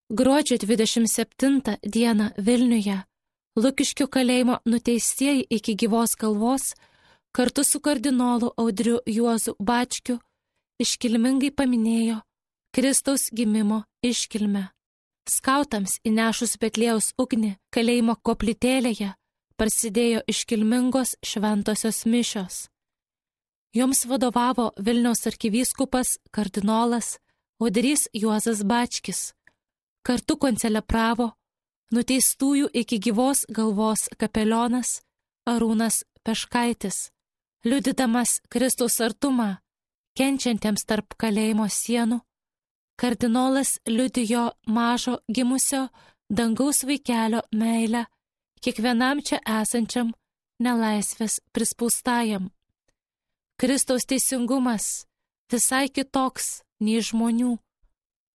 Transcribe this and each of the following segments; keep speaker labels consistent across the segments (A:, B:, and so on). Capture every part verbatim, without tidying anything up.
A: Gruodžio dvidešimt septintą dieną Vilniuje Lukiškių kalėjimo nuteistieji iki gyvos galvos kartu su kardinolu Audriu Juozu Bačkiu iškilmingai paminėjo Kristaus gimimo iškilmę. Skautams įnešus Betliejaus ugnį kalėjimo koplytėlėje prasidėjo iškilmingos šventosios mišios. Joms vadovavo Vilniaus arkivyskupas kardinolas Audrys Juozas Bačkis. Kartu koncelebravo nuteistųjų iki gyvos galvos kapelionas Arūnas Peškaitis, liudydamas Kristaus artumą kenčiantiems tarp kalėjimo sienų. Kardinolas liudijo mažo gimusio dangaus vaikelio meilę kiekvienam čia esančiam nelaisvės prispaustajam. Kristaus teisingumas visai kitoks nei žmonių,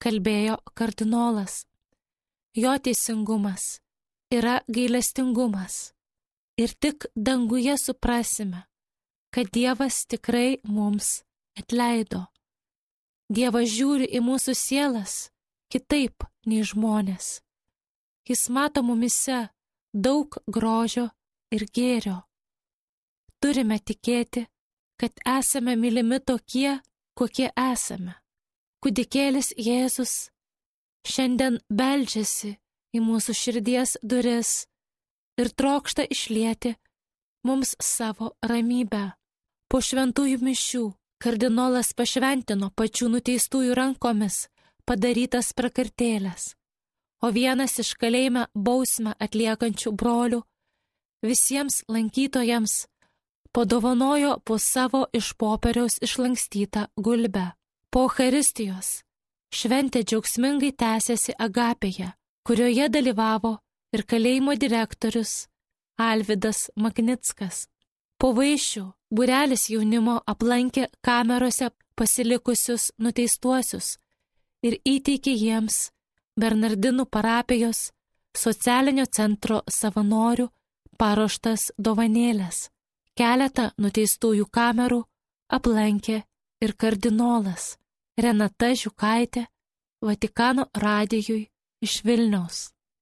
A: kalbėjo kardinolas. Jo teisingumas yra gailestingumas. Ir tik danguje suprasime, kad Dievas tikrai mums atleido. Dievas žiūri į mūsų sielas kitaip nei žmonės. Jis mato mumise daug grožio ir gėrio. Turime tikėti, kad esame mylimi tokie, kokie esame. Kūdikėlis Jėzus šiandien beldžiasi į mūsų širdies duris ir trokšta išlieti mums savo ramybę. Po šventųjų mišių kardinolas pašventino pačių nuteistųjų rankomis padarytas prakartėlės, o vienas iš kalėjime bausmę atliekančių brolių visiems lankytojams padovanojo po savo iš popieriaus išlankstytą gulbę. Po Eucharistijos šventė džiaugsmingai tęsėsi Agapėje, kurioje dalyvavo ir kalėjimo direktorius Alvydas Maknickas. Po vaišių būrelis jaunimo aplankė kamerose pasilikusius nuteistuosius ir įteikė jiems Bernardinų parapijos socialinio centro savanorių paruoštas dovanėlės. Keletą nuteistųjų kamerų aplankė ir kardinolas Renata Žiukaitė Vatikano radijui iš Vilniaus.